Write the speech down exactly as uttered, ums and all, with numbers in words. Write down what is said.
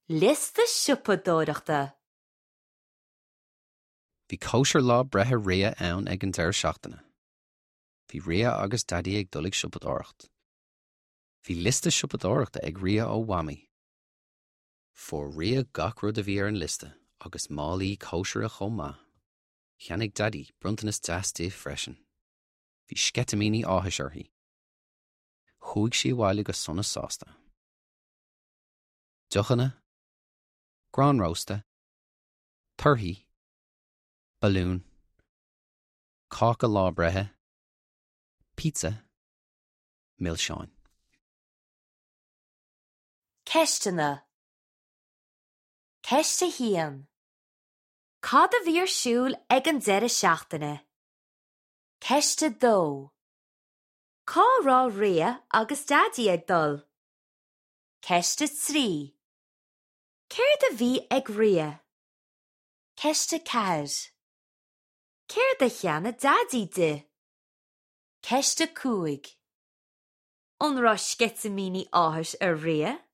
Liosta siopadóireachta. Bhí cóisir lá breithe Ria ann ag an deireadh seachtaine. Bhí Ria agus Daidí ag dul ag siopadóireacht. Bhí liosta siopadóireachta ag Ria ó Mhamaí. Fuair Ria gach rud a bhí ar an liosta agus málaí cóisire chomh maith. Cheannaigh Daidí bronntanas deas di freisin. Bhí sceitimíní áthais uirthi. Chuaigh sí abhaile go sona sásta. Deochanna, grán rósta, torthaí, balún, cáca lá breithe, pizza, milseáin. Ceisteanna. Ceist a haon. Cad a bhí ar siúl ag an deireadh seachtaine? Ceist a dó. Cá raibh Ria agus Daidí ag dul? Ceist a trí. Céard a bhí ag Ria? Ceist a ceathair. Céard a cheannaigh Daidí di? Ceist a cúig. An raibh sceitimíní áthais ar Ria?